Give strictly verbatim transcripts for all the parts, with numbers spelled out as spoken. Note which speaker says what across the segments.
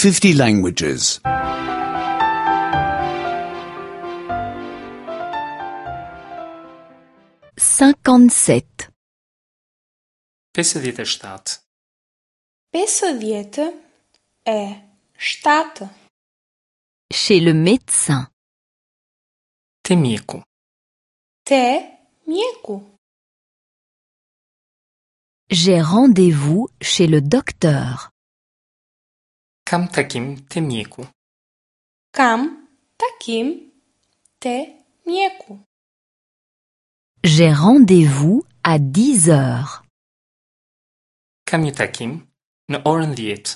Speaker 1: fifty languages.
Speaker 2: cinquante-sept.
Speaker 3: pesëdhjetë e shtatë,
Speaker 4: Pesëdhjetë e shtatë.
Speaker 2: Chez le médecin.
Speaker 3: Te mjeku.
Speaker 4: Te mjeku.
Speaker 2: J'ai rendez-vous chez le docteur.
Speaker 3: Kam takim te mjeku.
Speaker 4: Kam takim te mjeku.
Speaker 2: J'ai rendez-vous à dix heures.
Speaker 3: Kam një takim në orën dhjetë.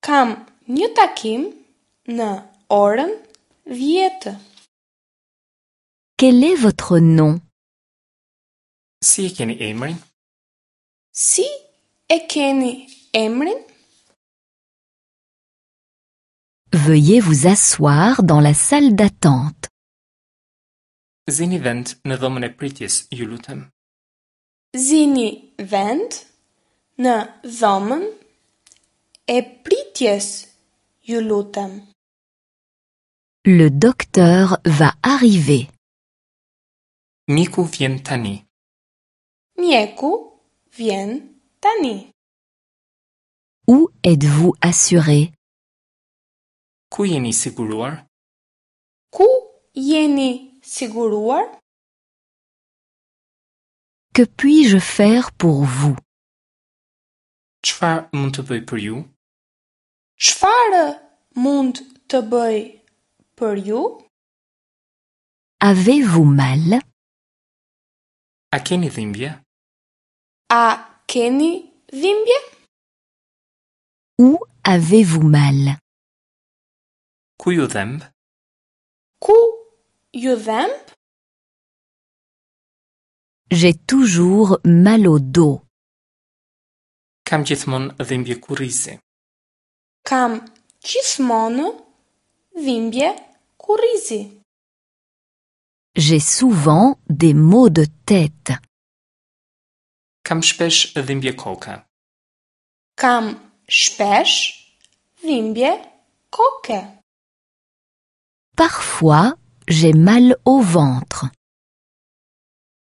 Speaker 4: Kam një takim në orën dhjetë.
Speaker 2: Quel est votre nom?
Speaker 3: Si e keni emrin?
Speaker 4: Si e keni emrin?
Speaker 2: Veuillez vous asseoir dans la salle d'attente.
Speaker 3: Zini vend në dhomën e pritjes, ju lutem.
Speaker 4: Zini vend në dhomën e pritjes, ju lutem.
Speaker 2: Le docteur va arriver.
Speaker 3: Mjeku vjen tani.
Speaker 4: Mjeku vjen tani.
Speaker 2: Où êtes-vous assuré?
Speaker 3: Ku jeni siguruar?
Speaker 4: Ku jeni siguruar?
Speaker 2: Que puis-je faire pour vous?
Speaker 3: Çfarë mund të bëj për ju?
Speaker 4: Çfarë mund të bëj për ju?
Speaker 2: Avez-vous mal?
Speaker 3: A keni dhimbje?
Speaker 4: A keni dhimbje?
Speaker 2: Où avez-vous mal?
Speaker 3: Ku ju dhemb?
Speaker 4: Ku ju dhemb?
Speaker 2: J'ai toujours mal au dos.
Speaker 3: Kam gjithmonë dhimbje kurrizi.
Speaker 4: Kam gjithmonë dhimbje kurrizi.
Speaker 2: J'ai souvent des maux de tête.
Speaker 3: Kam shpesh dhimbje koke.
Speaker 4: Kam shpesh dhimbje koke.
Speaker 2: Parfois, j'ai mal au ventre.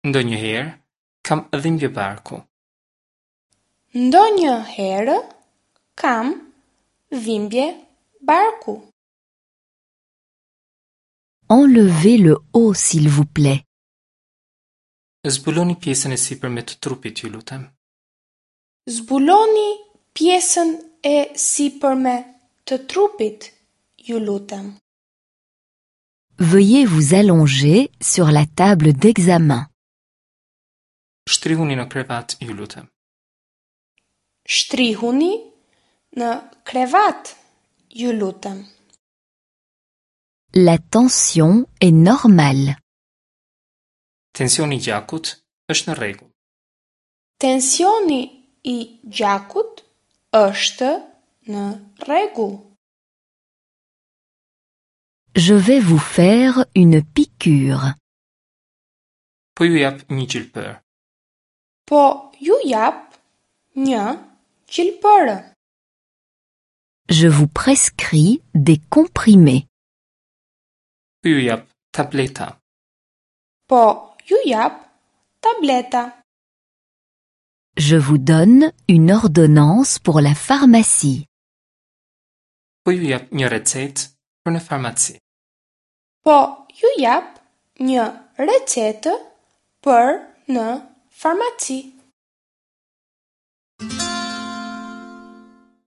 Speaker 3: Ndonjëherë kam dhimbje barku.
Speaker 4: Ndonjëherë kam dhimbje barku.
Speaker 2: Enlevez le haut, s'il vous plaît.
Speaker 3: Zbuloni pjesën e sipërme të trupit, ju lutem.
Speaker 4: Zbuloni pjesën e sipërme të trupit, ju lutem.
Speaker 2: Veuillez vous allonger sur la table d'examen.
Speaker 3: Shtrihuni në krevat, ju lutem.
Speaker 4: Shtrihuni në krevat, ju lutem.
Speaker 2: La tension est normale.
Speaker 3: Tensioni i gjakut është në rregull.
Speaker 4: Tensioni i gjakut është në rregull.
Speaker 2: Je vais vous faire une piqûre.
Speaker 3: Po ju jap një gjilpër.
Speaker 4: Po ju jap një gjilpërë.
Speaker 2: Je vous prescris des comprimés.
Speaker 3: Po ju jap tableta.
Speaker 4: Po ju jap tableta.
Speaker 2: Je vous donne une ordonnance pour la pharmacie.
Speaker 3: Po ju jap një recetë për në farmaci.
Speaker 4: Po ju jap një recetë për në farmaci.